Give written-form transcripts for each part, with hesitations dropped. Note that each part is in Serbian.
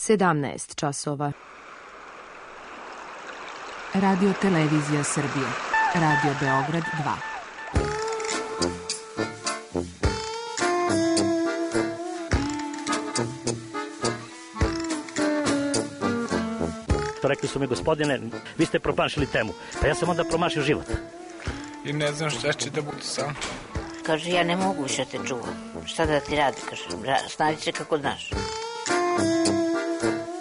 17 časova. Radio Televizija Srbije. Radio Beograd 2. Rekli su mi, gospodine, vi ste promašili temu. Pa ja sam onda promašio život. I ne znam šta će da bude sam. Kaže, ja ne mogu više te čuvam. Šta da ti radi, kaže, snađi se kako znaš.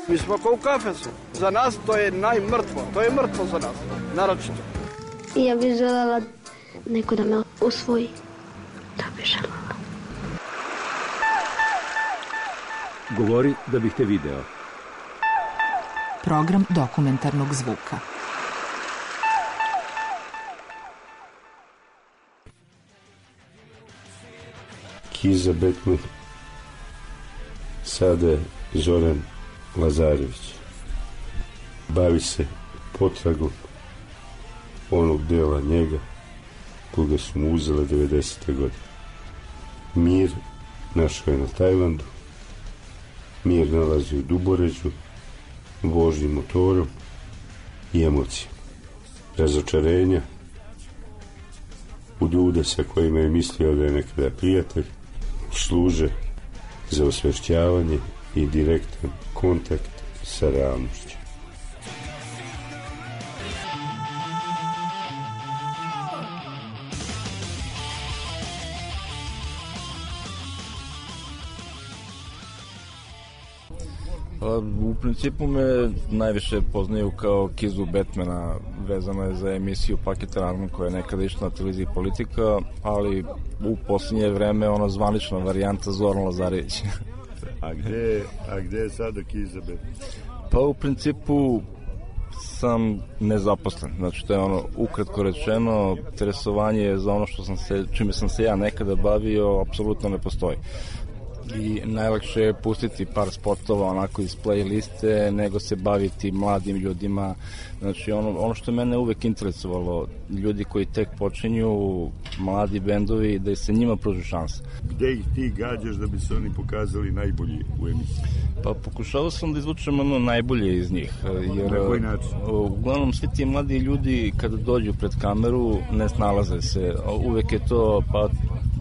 Mi smo kao u kafesu. Za nas to je najmrtvo. To je mrtvo za nas, naročito. I ja bih željela neko da me usvoji. Da bih željela. Govori da bih te video. Program dokumentarnog zvuka. Kiza Betman, sada je Zoran Lazarević. Bavi se potragom onog dela njega koga su mu uzele 90. godine. Mir našao je na Tajlandu, mir nalazi u Duboređu, vožnji motorom i emocijama. Razočarenja u ljude sa kojima je mislio da je nekada prijatelj služe za osvešćavanje i direktan kontakt sa realnošću. U principu me najviše poznaju kao Kizu Betmana, vezano je za emisiju Paket Aranžman koja je nekada išla na televiziji Politika, ali u posljednje vreme ona zvanična varijanta Zoran Lazarević. A gde je sada Kiza Betman? Pa u principu sam nezaposlen, znači to je ono ukratko rečeno, interesovanje za ono čime sam se ja nekada bavio apsolutno ne postoji. I najlakše je pustiti par spotova onako iz playliste nego se baviti mladim ljudima. Znači ono što je mene uvek interesovalo, ljudi koji tek počinju, mladi bendovi, da se njima pruži šansa. Gde ih ti gađaš da bi se oni pokazali najbolji u emisiji? Pa pokušao sam da izvučem ono najbolje iz njih. Jer, na koji način? Uglavnom svi ti mladi ljudi kada dođu pred kameru ne snalaze se. Uvek je to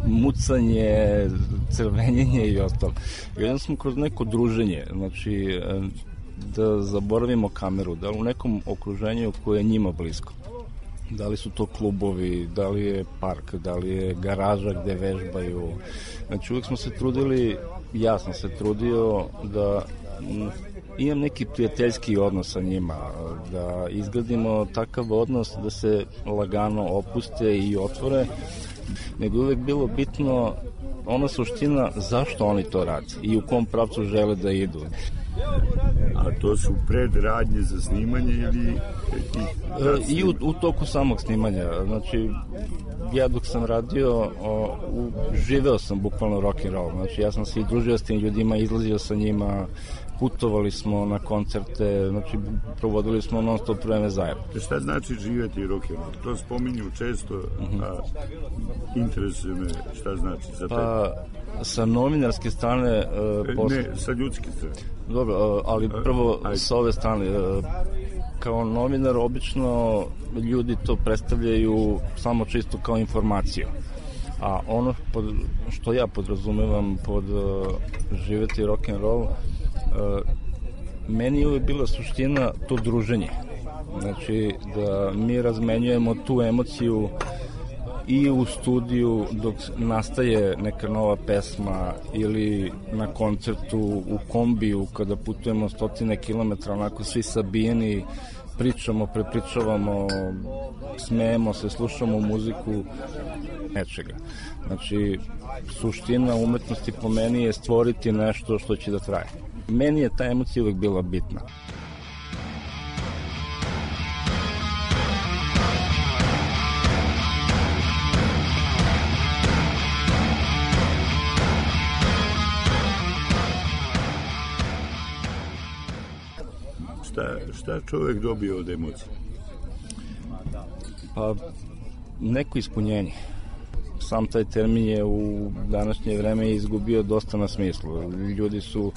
mucanje, crvenjenje i ostalo. Jedan smo kroz neko druženje, znači da zaboravimo kameru, da li u nekom okruženju koje je njima blisko. Da li su to klubovi, da li je park, da li je garaža gde vežbaju. Znači uvijek smo se trudili, ja sam se trudio da imam neki prijateljski odnos sa njima, da izgradimo takav odnos da se lagano opuste i otvore, nego uvek bilo bitno ona suština zašto oni to rade i u kom pravcu žele da idu. A to su predradnje za snimanje ili... I u toku samog snimanja. Znači, ja dok sam radio, živeo sam bukvalno rock'n'roll. Znači, ja sam se i družio s tim ljudima, izlazio sa njima, putovali smo na koncerte, znači, provodili smo non stop vreme zajedno. Šta znači živjeti rock'n'roll? To spominju često, a interesuje me šta znači za tebe. Pa, sa novinarske strane... Ne, sa ljudske strane. Dobro, ali prvo sa ove strane, kao novinar obično ljudi to predstavljaju samo čisto kao informaciju, a ono što ja podrazumevam pod živjeti rock'n'roll, meni je uvijek bila suština to druženje, znači da mi razmenjujemo tu emociju i u studiju dok nastaje neka nova pesma ili na koncertu u kombiju kada putujemo 100 kilometra, onako svi sabijeni, pričamo, prepričavamo, smejemo se, slušamo muziku, nečega. Znači, suština umetnosti po meni je stvoriti nešto što će da traje. Meni je ta emocija uvek bila bitna. Šta čovjek dobio od emocije? Pa, neko ispunjenje. Sam taj termin je u današnje vreme izgubio dosta na smislu. Ljudi su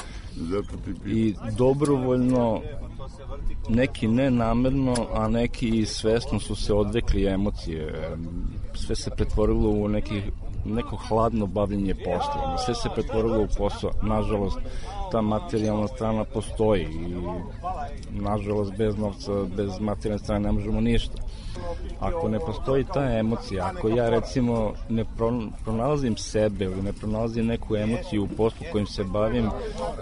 I dobrovoljno, neki nenamerno, a neki i svesno su se odrekli emocije. Sve se pretvorilo u neko hladno bavljenje poslom. Sve se pretvorilo u posao. Nažalost, ta materijalna strana postoji i nažalost bez novca, bez materijalne strane ne možemo ništa. Ako ne postoji ta emocija, ako ja recimo ne pronalazim sebe ili ne pronalazim neku emociju u poslu kojim se bavim,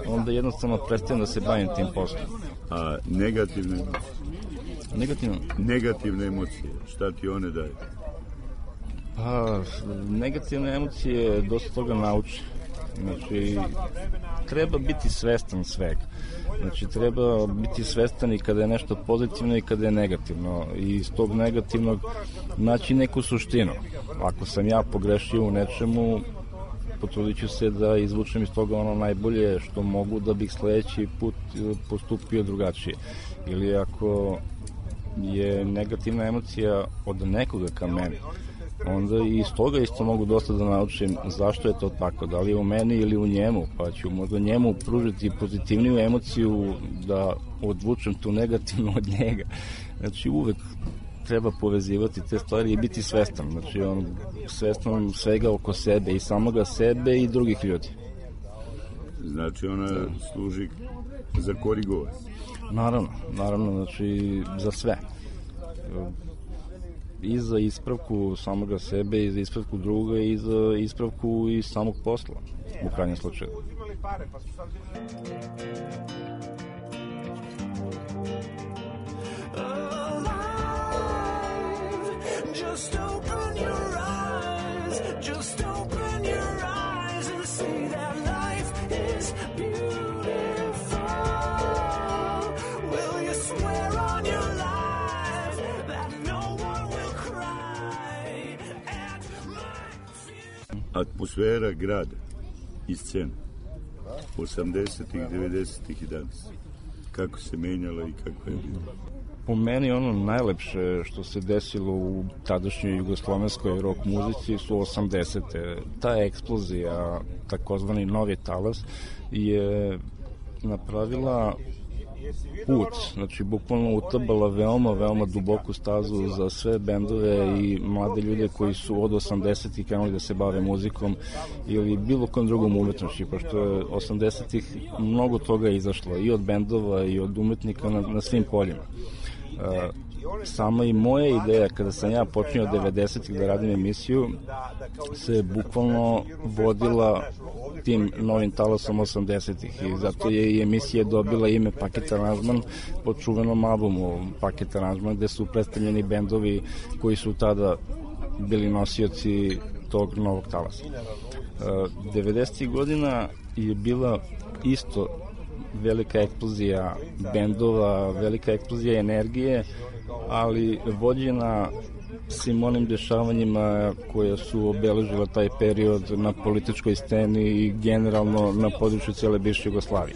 onda jednostavno prestajem da se bavim tim poslom. A negativne emocije? Negativne emocije, šta ti one daju? Pa, negativne emocije dosta toga nauči. Znači, treba biti svestan svega. Znači, treba biti svestan i kada je nešto pozitivno i kada je negativno. I iz tog negativnog naći neku suštinu. Ako sam ja pogrešio u nečemu, potrudit ću se da izvučem iz toga ono najbolje što mogu da bih sledeći put postupio drugačije. Ili ako je negativna emocija od nekoga ka meni, onda i iz toga isto mogu dosta da naučim zašto je to tako, da li je u meni ili u njemu, pa ću možda njemu pružiti pozitivniju emociju da odvučem tu negativnu od njega. Znači uvek treba povezivati te stvari i biti svestan, znači svestan svega oko sebe i samoga sebe i drugih ljudi. Znači ona služi za korigovanje? Naravno, znači za sve. I za ispravku samoga sebe, i za ispravku druga, i za ispravku i samog posla, u krajnjem slučaju. Just open your eyes, just open your eyes and see that life is beautiful. Will you swear on your life that no one will cry at my... Atmosfera grada i scena 80-ih, 90-ih i danas, kako se menjala i kako je bilo? Po meni ono najlepše što se desilo u tadašnjoj jugoslovenskoj rock muzici su 80-te. Ta eksplozija, takozvani novi talas, je napravila put, znači bukvalno utabala veoma duboku stazu za sve bendove i mlade ljude koji su od 80-ih krenuli da se bave muzikom ili bilo kom drugom umetnošću, pošto je 80-ih mnogo toga izašlo i od bendova i od umetnika na svim poljima. Sama i moja ideja kada sam ja počinio 90-ih da radim emisiju se bukvalno vodila tim novim talasom 80-ih i zato je i emisija dobila ime Paket aranžman po čuvenom albumu Paket aranžman gde su predstavljeni bendovi koji su tada bili nosioci tog novog talasa. 90-ih godina je bila isto velika eksplozija bendova, velika eksplozija energije, ali vođena svim onim dešavanjima koje su obeležila taj period na političkoj sceni i generalno na području cijele bivše Jugoslavije.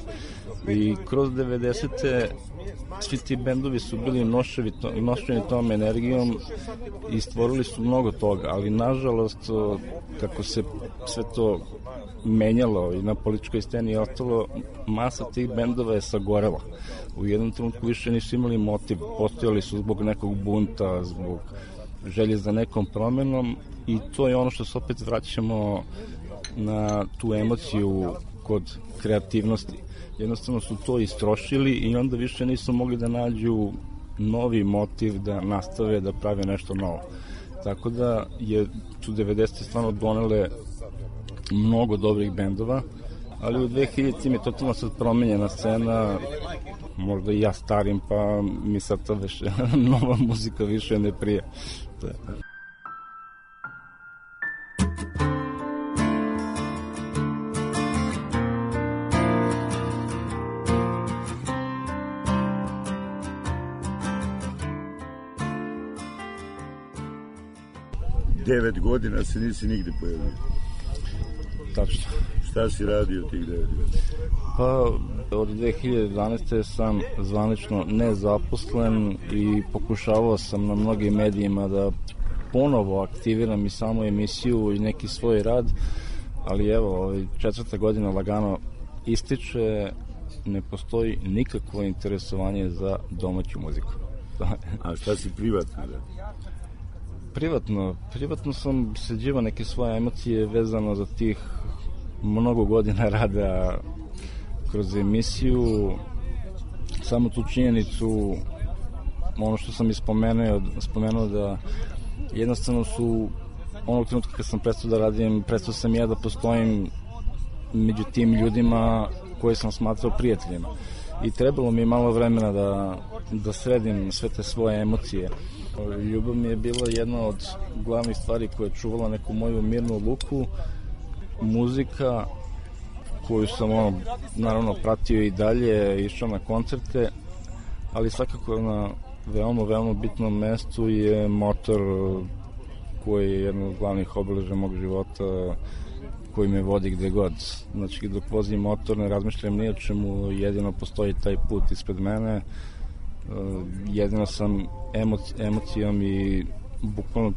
I kroz 90-te svi ti bendovi su bili nošeni tom energijom i stvorili su mnogo toga, ali nažalost kako se sve to menjalo i na političkoj sceni i ostalo, masa tih bendova je sagorela. U jednom trenutku više nisu imali motiv, postojali su zbog nekog bunta, zbog želje za nekom promenom i to je ono što se opet vraćamo na tu emociju kod kreativnosti. Jednostavno su to istrošili i onda više nisu mogli da nađu novi motiv da nastave da prave nešto novo. Tako da su 90. stvarno donele mnogo dobrih bendova, ali u 2000-im je totalno sad promenjena scena, možda i ja starim, pa mi sad ta nova muzika više ne prija. 9 godina se nisi nigde pojavio. Tačno. Šta si radio tih 9 godina? Pa, od 2011. sam zvanično nezaposlen i pokušavao sam na mnogim medijima da ponovo aktiviram i samo emisiju i neki svoj rad, ali evo, 4. godina lagano ističe ne postoji nikakvo interesovanje za domaću muziku. A šta si privatno radio? Privatno sam sređivao neke svoje emocije vezano za tih mnogo godina rada kroz emisiju. Samo tu činjenicu, ono što sam spomenuo da jednostavno su onog trenutka kad sam prestao da radim, prestao sam ja da postojim među tim ljudima koje sam smatrao prijateljima. I trebalo mi je malo vremena da sredim sve te svoje emocije. Ljubav mi je bila jedna od glavnih stvari koja je čuvala neku moju mirnu luku. Muzika koju sam naravno pratio i dalje, išao na koncerte, ali svakako na veoma bitnom mestu je motor koji je jedno od glavnih obeležja mog života, koji me vodi gde god. Znači, dok vozim motor ne razmišljam ni o čemu, jedino postoji taj put ispred mene, jedino sam emocijom i bukvalno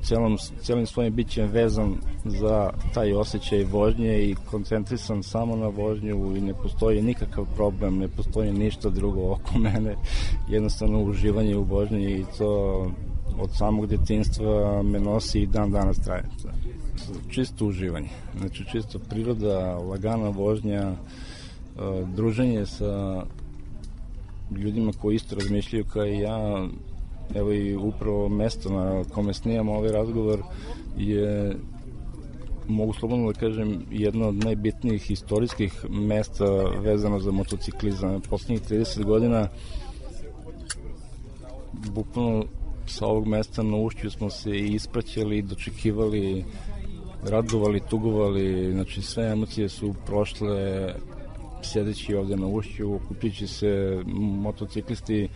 celim svojim bićem vezan za taj osjećaj vožnje i koncentrisan samo na vožnju i ne postoji nikakav problem, ne postoji ništa drugo oko mene, jednostavno uživanje u vožnji i to od samog detinjstva me nosi i dan danas traje. Čisto uživanje, znači čisto priroda, lagana vožnja, druženje sa ljudima koji isto razmišljaju kao i ja. Evo i upravo mesto na kome snijamo ovaj razgovor je, mogu slobodno da kažem, jedno od najbitnijih istorijskih mesta vezano za motociklizam. Poslednjih 30 godina bukvalno sa ovog mesta na Ušću smo se ispraćali, dočekivali, radovali, tugovali, znači sve emocije su prošle sjedeći ovde na Ušću, okupljujući se motociklisti,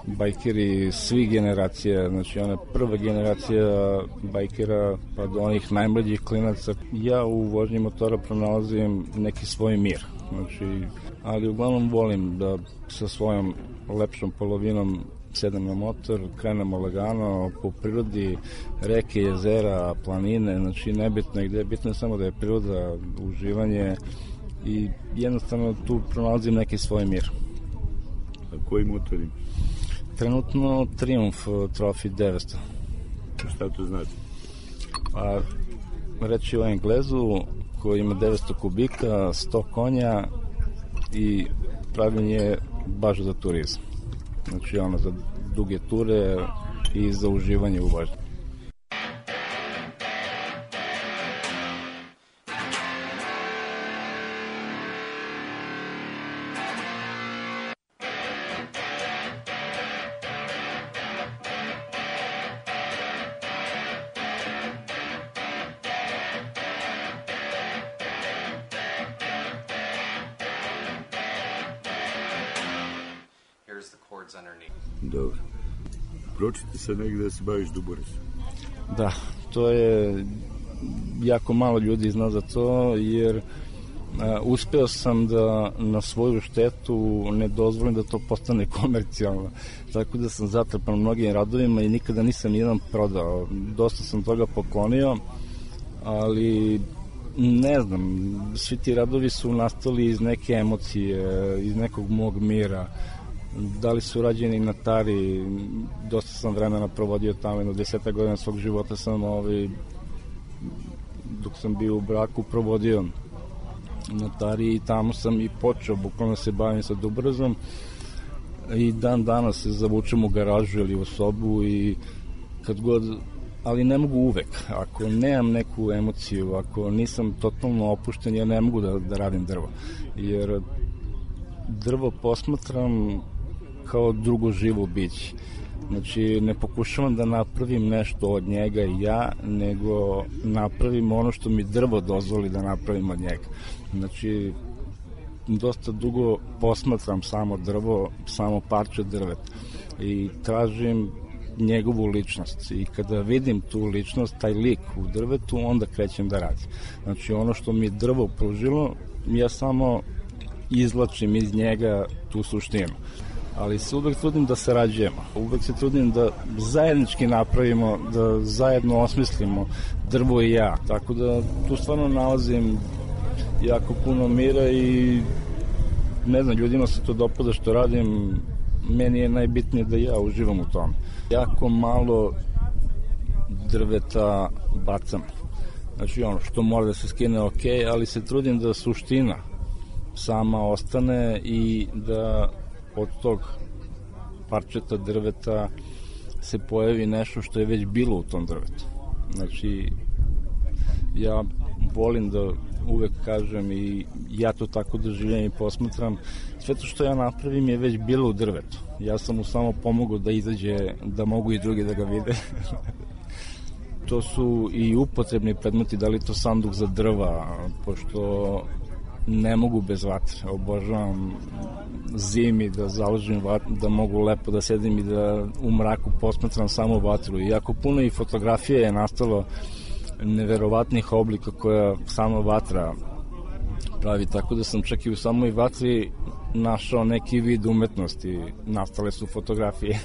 bajkeri svih generacija, znači ona prva generacija bajkera pa do onih najmlađih klinaca. Ja u vožnji motora pronalazim neki svoj mir, znači, ali uglavnom volim da sa svojom lepšom polovinom sedem na motor, krenemo lagano po prirodi, reke, jezera, planine, znači nebitno je gde, bitno je samo da je priroda, uživanje i jednostavno tu pronalazim neki svoj mir. A koji motor ima? Trenutno Triumph Trophy 900. Šta to znači? Pa, reći o Englezu koji ima 900 kubika, 100 konja i praviln je baš za turizam. Znači ono za duge ture i za uživanje u vožnji. Dobro. Pročite se negde da se baviš duboresom. Da, to je jako malo ljudi zna za to, jer uspeo sam da na svoju štetu ne dozvolim da to postane komercijalno. Tako da sam zatrpan mnogim radovima i nikada nisam nijedan prodao. Dosta sam toga poklonio, ali ne znam, svi ti radovi su nastali iz neke emocije, iz nekog mog mira. Da li su rađeni na Tari, dosta sam vremena provodio tamo, jedno 10 godina svog života sam dok sam bio u braku provodio na Tari i tamo sam i počeo bukvalno se bavim sa dubrozom i dan danas se zavučem u garažu ili u sobu i kad god, ali ne mogu uvek, ako nemam neku emociju, ako nisam totalno opušten, ja ne mogu da radim drvo, jer drvo posmatram kao drugo živo biće. Znači, ne pokušavam da napravim nešto od njega ja, nego napravim ono što mi drvo dozvoli da napravim od njega. Znači, dosta dugo posmatram samo drvo, samo parče drveta i tražim njegovu ličnost i kada vidim tu ličnost, taj lik u drvetu, onda krećem da radim. Znači, ono što mi drvo pružilo, ja samo izvlačim iz njega tu suštinu. Ali se uvek trudim da sarađujemo, uvek se trudim da zajednički napravimo, da zajedno osmislimo drvo i ja, tako da tu stvarno nalazim jako puno mira i ne znam, ljudima se to dopada što radim, meni je najbitnije da ja uživam u tom. Jako malo drveta bacam. Znači ono što mora da se skine ok, ali se trudim da suština sama ostane i da od tog parčeta drveta se pojavi nešto što je već bilo u tom drvetu. Znači, ja volim da uvek kažem i ja to tako doživljam i posmatram, sve to što ja napravim je već bilo u drvetu. Ja sam mu samo pomogao da izađe, da mogu i drugi da ga vide. To su i upotrebni predmeti, da li to sanduk za drva, pošto ne mogu bez vatre. Obožavam zimi da založim vatru, da mogu lepo da sedim i da u mraku posmatram samo vatru. Iako puno i fotografije je nastalo neverovatnih oblika koja sama vatra pravi, tako da sam čak i u samoj vatri našao neki vid umetnosti. Nastale su fotografije.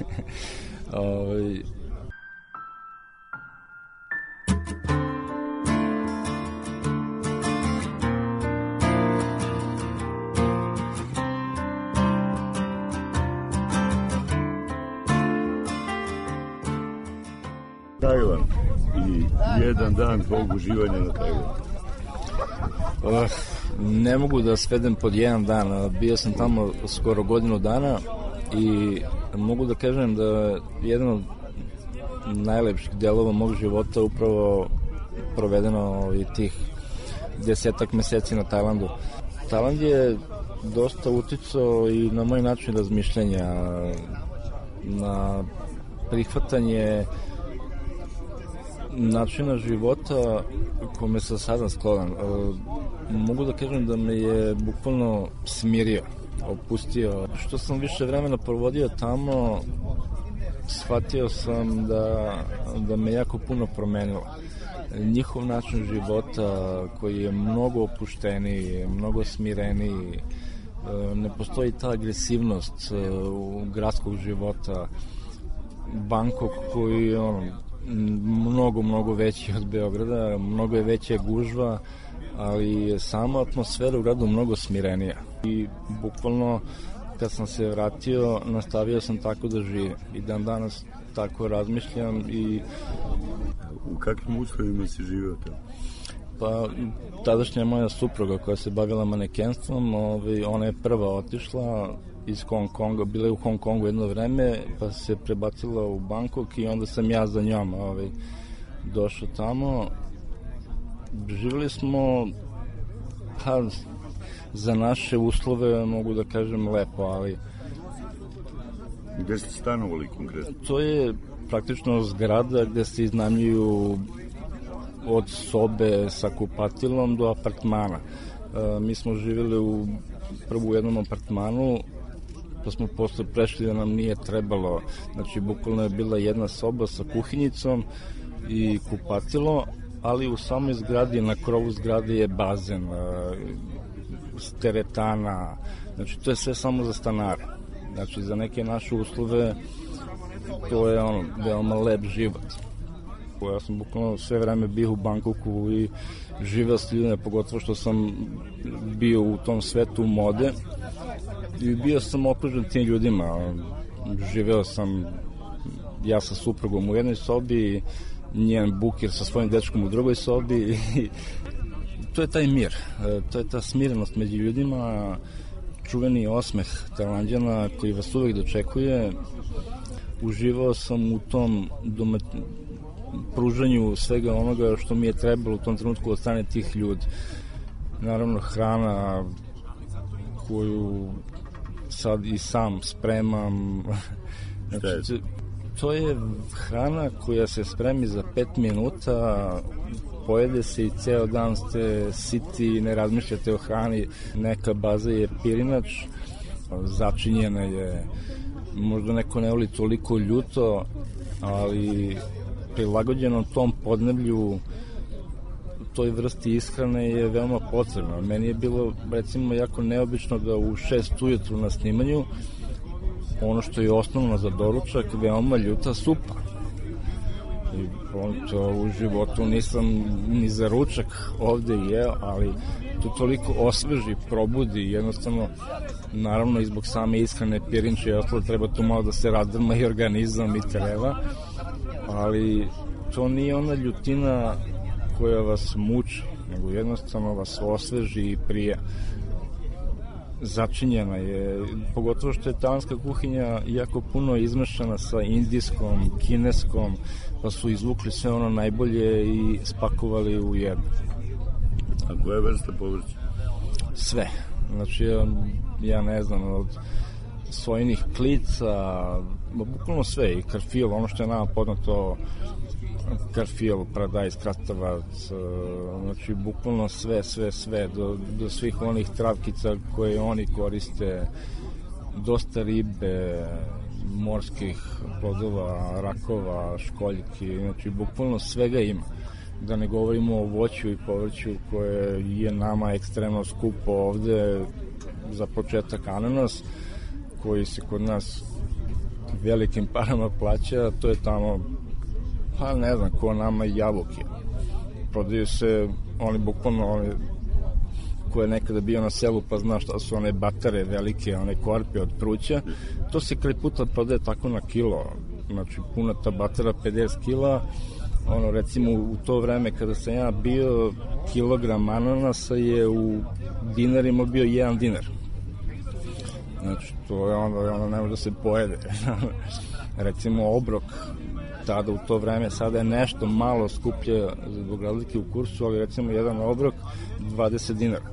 Tajvan i jedan dan tvojeg uživanja na Tajvanu. Ne mogu da svedem pod jedan dan. Bio sam tamo skoro godinu dana i mogu da kažem da jedan od najlepših delova mog života upravo provedeno i tih 10 meseci na Tajlandu. Tajland je dosta uticao i na moj način razmišljanja, na prihvatanje načina života kome sam sada sklonan. Mogu da kažem da me je bukvalno smirio, opustio. Što sam više vremena provodio tamo, shvatio sam da me jako puno promenilo. Njihov način života koji je mnogo opušteniji, mnogo smireniji, ne postoji ta agresivnost gradskog života. Bangkok koji je mnogo veći od Beograda, mnogo je veća gužva, ali je sama atmosfera u gradu mnogo smirenija. I bukvalno kad sam se vratio, nastavio sam tako da živim. I dan danas tako razmišljam i... U kakvim uslovima si živio tamo? Pa, tadašnja moja supruga koja se bavila manekenstvom, ona je prva otišla iz Hong Konga, bila je u Hong Kongu jedno vreme, pa se prebacila u Bangkok i onda sam ja za njom došao tamo. Živjeli smo za naše uslove, mogu da kažem, lepo, ali... Gde ste stanovali konkretno? To je praktično zgrada gde se iznajmljuju od sobe sa kupatilom do apartmana. Mi smo živjeli prvo u jednom apartmanu, pa smo posle prešli da nam nije trebalo. Znači, bukvalno je bila jedna soba sa kuhinjicom i kupatilo, ali u samoj zgradi, na krovu zgrade je bazen, teretana, znači to je sve samo za stanare. Znači, za neke naše uslove to je veoma lep život. Ja sam bukvalno sve vreme bio u Bangkoku i živeo s ljudima, pogotovo što sam bio u tom svetu mode i bio sam okružen tim ljudima. Živeo sam ja sa suprugom u jednoj sobi, njen bukir sa svojim dečkom u drugoj sobi i to je taj mir, to je ta smirenost među ljudima, čuveni osmeh Tajlanđana koji vas uvek dočekuje. Uživao sam u tom pružanju svega onoga što mi je trebalo u tom trenutku od strane tih ljudi. Naravno, hrana koju sad i sam spremam. Znači, to je hrana koja se spremi za 5 minuta, pojede se i ceo dan ste siti i ne razmišljate o hrani. Neka baza je pirinač, začinjena je, možda neko ne voli toliko ljuto, ali prilagođeno tom podneblju, toj vrsti ishrane je veoma potrebno. Meni je bilo, recimo, jako neobično da u 6 ujutru na snimanju, ono što je osnovno za doručak, veoma ljuta supa. I to u životu nisam ni za ručak ovde jeo, ali to toliko osveži, probudi, jednostavno, naravno i zbog same ishrane, pirinče i ostalo, treba tu malo da se razdrma i organizam i treva, ali to nije ona ljutina koja vas muči, nego jednostavno vas osveži i prija. Začinjena je, pogotovo što je tajlandska kuhinja jako puno izmešana sa indijskom, kineskom, pa su izvukli sve ono najbolje i spakovali u jedno. A koja je vrsta povrća? Sve. Znači, ja ne znam, od sojinih klica, bukvalno sve, i karfil, ono što je nama poznato, karfil, paradajz, krastavac, znači bukvalno sve, do svih onih travkica koje oni koriste, dosta ribe, morskih plodova, rakova, školjki, znači bukvalno svega ima. Da ne govorimo o voću i povrću koje je nama ekstremno skupo ovde, za početak ananas, koji se kod nas velikim parama plaća, to je tamo, pa ne znam, ko nama jabuke. Prodaju se oni bukvalno, oni ko je nekada bio na selu pa zna šta su one batare velike, one korpe od pruća, to se kraj puta prodaje tako na kilo, znači puna ta batara 50 kila, ono recimo u to vreme kada sam ja bio, kilogram ananasa je u dinarima bio 1 dinar. Znači to je ono ne može da se pojede. Recimo obrok tada u to vreme, sada je nešto malo skuplje zbog razlike u kursu, ali recimo jedan obrok 20 dinara.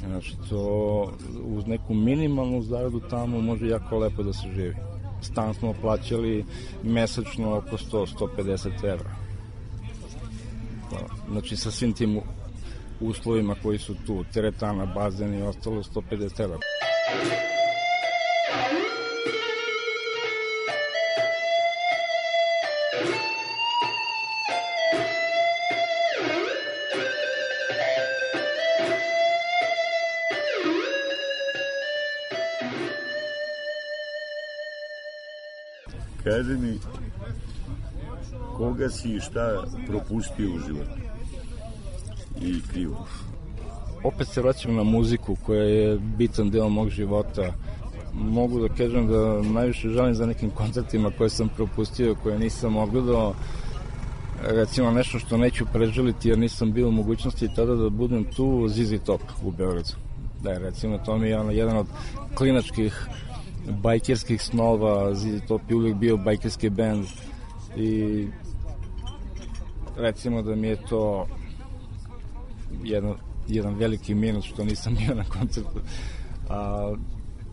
Znači to uz neku minimalnu zaradu tamo može jako lepo da se živi. Stan smo plaćali mesečno oko 100-150 evra. Znači sa svim tim uslovima koji su tu, teretana, bazen i ostalo, 150 evra. Kaži mi, koga si i šta propustio u životu i krivo? Opet se vraćam na muziku koja je bitan deo mog života. Mogu da kažem da najviše žalim za nekim koncertima koje sam propustio, koje nisam ogledao. Recimo nešto što neću preželiti jer nisam bio u mogućnosti tada da budem tu, ZZ Top u Beogradu. Da, recimo to mi je jedan od klinačkih bajkerskih snova, ZZ Top je uvijek bio bajkerski band i recimo da mi je to jedan veliki minus što nisam bio na koncertu, a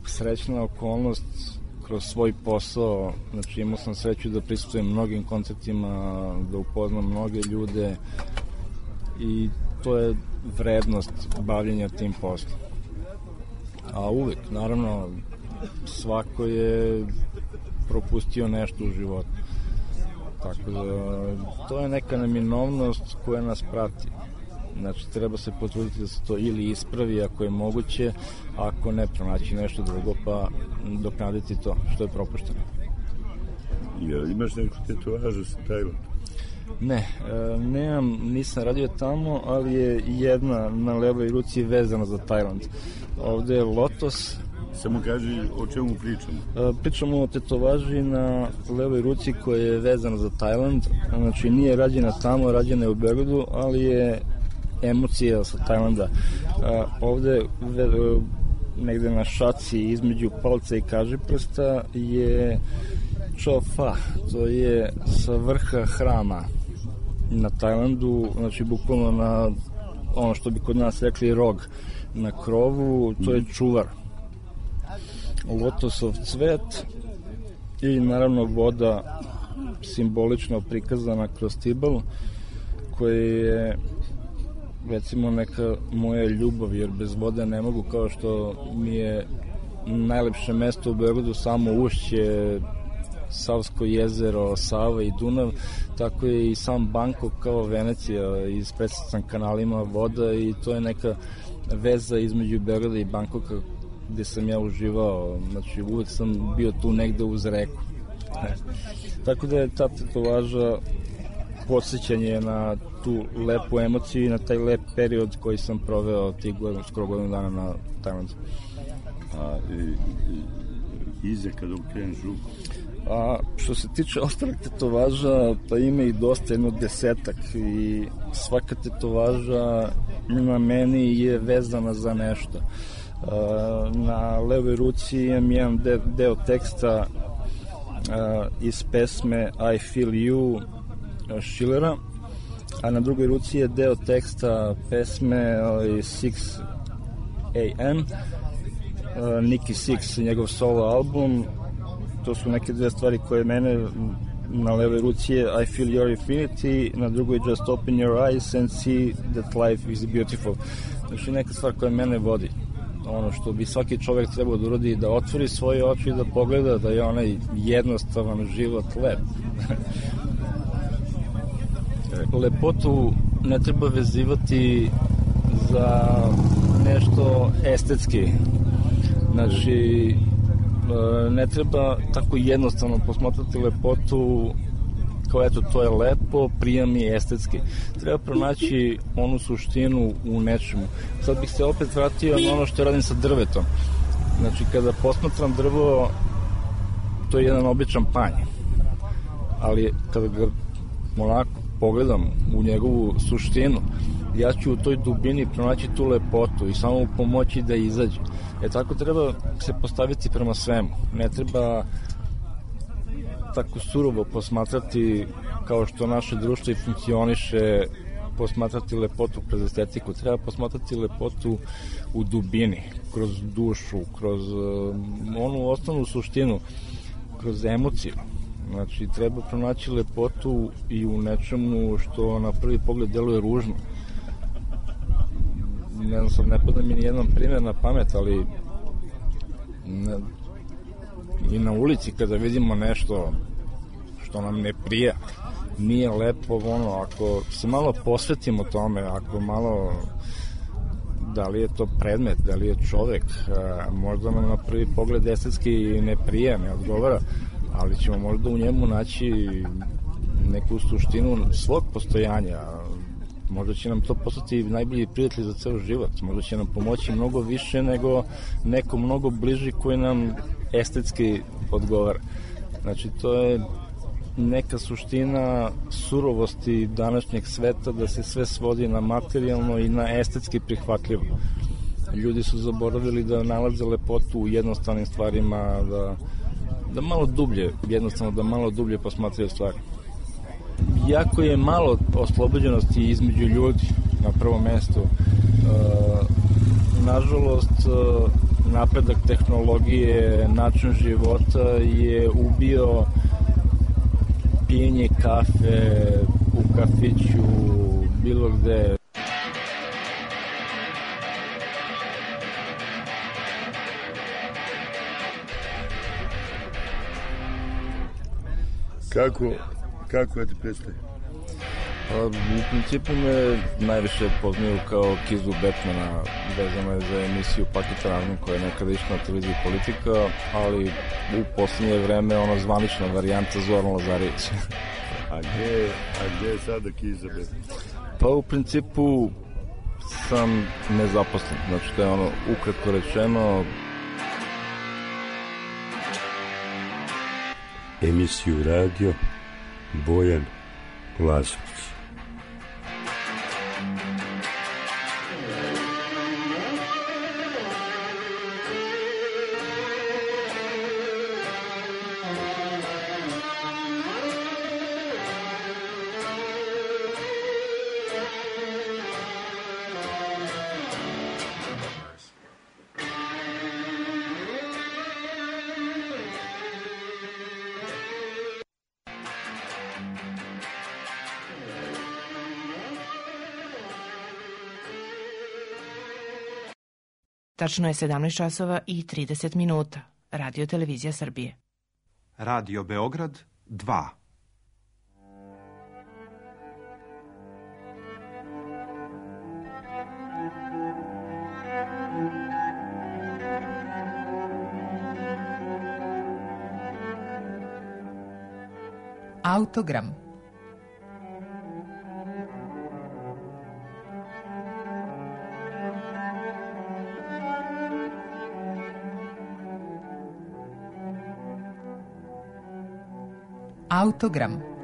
srećna okolnost kroz svoj posao, znači imao sam sreću da prisustvujem mnogim koncertima, da upoznam mnoge ljude i to je vrednost bavljenja tim poslom. A uvek, naravno, svako je propustio nešto u životu. Tako da, to je neka neminovnost koja nas prati. Znači, treba se potruditi da se to ili ispravi ako je moguće, ako ne, pronaći nešto drugo, pa doknaditi to što je propušteno. Imaš neku tetovažu sa Tajlandom? Ne, nemam, nisam radio tamo, ali je jedna na levoj ruci vezana za Tajland. Ovde je lotos. Samo kaži o čemu pričamo. Pričamo o tetovaži na levoj ruci koja je vezana za Tajland. Znači, nije rađena tamo, rađena je u Beogradu, ali je emocija sa Tajlanda. Ovde negde na šaci između palca i kažiprsta je Chofa, to je sa vrha hrama na Tajlandu, znači bukvalno na ono što bi kod nas rekli rog na krovu, to je čuvar, lotosov cvet i naravno voda simbolično prikazana kroz Tibal, koja je recimo neka moja ljubav, jer bez vode ne mogu, kao što mi je najlepše mesto u Beogradu samo ušće, Savsko jezero, Sava i Dunav, tako je i sam Bangkok kao Venecija, ispresican kanalima voda i to je neka veza između Beograda i Bangkoka gde sam ja uživao, znači uvek sam bio tu negde uz reku. Tako da je ta tetovaža podsjećanje na tu lepu emociju i na taj lep period koji sam proveo tih skoro godinu dana na Tajlandu. A iza kada okreneš ruku? A što se tiče ostalih tetovaža, pa ima i dosta, jedno 10-ak, i svaka tetovaža na meni je vezana za nešto. Na levoj ruci imam jedan deo teksta iz pesme I Feel You Schillera, a na drugoj ruci je deo teksta pesme 6 AM Nicky Six, njegov solo album. To su neke dve stvari koje mene, na levoj ruci je I Feel Your Infinity, na drugoj Just Open Your Eyes and See That Life is Beautiful. Znači neka stvar koja mene vodi, ono što bi svaki čovjek trebao da uradi, da otvori svoje oči i da pogleda da je onaj jednostavan život lep. Lepotu ne treba vezivati za nešto estetski. Znači, ne treba tako jednostavno posmatrati lepotu kao eto, to je lepo, prijam je estetski. Treba pronaći onu suštinu u nečemu. Sad bih se opet vratio na ono što radim sa drvetom. Znači, kada posmatram drvo, to je jedan običan panj. Ali kada ga onako pogledam u njegovu suštinu, ja ću u toj dubini pronaći tu lepotu i samo pomoći da izađe. Tako treba se postaviti prema svemu. Ne treba tako surovo posmatrati kao što naše društvo i funkcioniše, posmatrati lepotu kroz estetiku. Treba posmatrati lepotu u dubini, kroz dušu, kroz onu osnovnu suštinu, kroz emociju. Znači, treba pronaći lepotu i u nečemu što na prvi pogled deluje ružno. Ne znam, ne pada mi nijedan primjer na pamet, ali i na ulici kada vidimo nešto što nam ne prija, nije lepo, ono, ako se malo posvetimo tome, ako malo, da li je to predmet, da li je čovek, možda nam na prvi pogled estetski ne prija, ne odgovara, ali ćemo možda u njemu naći neku suštinu svog postojanja. Možda će nam to postati najbolji prijatelj za ceo život. Možda će nam pomoći mnogo više nego neko mnogo bliži koji nam estetski odgovara. Znači, to je neka suština surovosti današnjeg sveta, da se sve svodi na materijalno i na estetski prihvatljivo. Ljudi su zaboravili da nalaze lepotu u jednostavnim stvarima, da malo dublje, jednostavno da malo dublje posmatraju stvari. Jako je malo oslobođenosti između ljudi na prvom mestu. Nažalost, napredak tehnologije, način života je ubio pijenje kafe u kafiću, bilo gde. Kako ti predstavi? U principu me najviše poznaju kao Kizu Batmana, vezano je za emisiju Paket Razum koja je nekada išla na televiziji Politika, ali u poslednje vreme ona zvanična varijanta Zoran Lazarević. A gde je sada Kiza Batman? Pa u principu sam nezaposlen, znači to je ono ukratko rečeno. Emisiju radio Bojan Lazović. Tačno je 17 časova i 30 minuta. Radio Televizija Srbije. Radio Beograd 2. Autogram. Autogram.